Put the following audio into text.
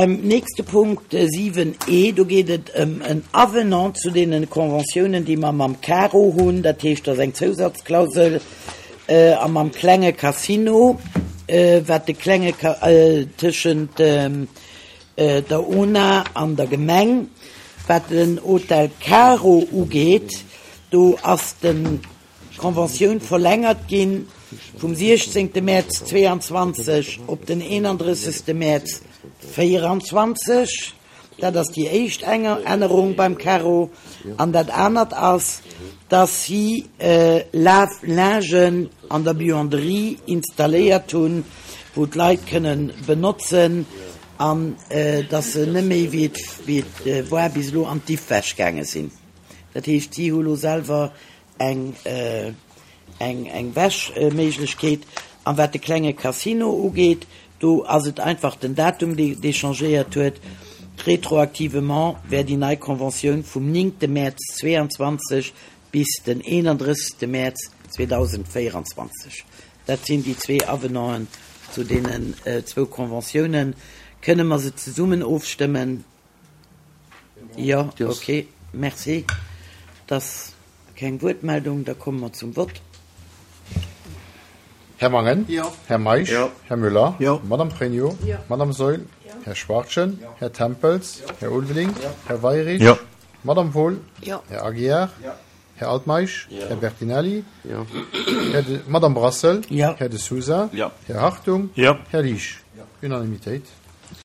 Beim nächste Punkt 7 e, do geet et ëm en Avenant zu deene Conventiounen, déi mer mam Caro hunn, dat heescht, dat ass eng Zousatzklausel, a mam klenge Casino, wat de klenge tëschent der UNA an der Gemeng. Wat den Hotel Caro ugeet, do ass de D'Conventioun verlängert gi vum 16 Mäerz 22 op den 31 Mäerz 24. Dat ass déi éischt Ännerung beim Caro. An dat anert ass, dass si Lave-lingen an der Buanderie installéiert hunn, wou d'Leit kënnen benotzen an dass se net méi, wéi et war bis elo, an d'Diffwäsch gaange sinn. Dat heescht, si hu lo selwer eng, eng, eng Wäschméiglechkeet. An wat de klenge Casino ugeet, do ass et einfach den Datum, dee, dee changéiert huet. Retroactivement wär déi nei Conventioun vum néngte Mäerz 22 bis den 31. Mäerz 2024. Dat sinn déi zwee Avenanten zu deenen zwou Conventiounen. Kënne mer se zesummen ofstëmmen? Jo, ok, merci. Et ass keng Wuertmeldung, da komme mer zum Vott. Här Mangen. Här Meisch. Här Müller. Madame Pregno. Madame Saeul. Här Schwachtgen. Här Tempels. Här Ulveling. Här Weyrich. Madame Wohl. Här Aguiar. Här Altmeisch. Här Bertinelli. Här de, Madame Brassel. Här De Sousa. Här Hartung. Här Liesch. Unanimitéit.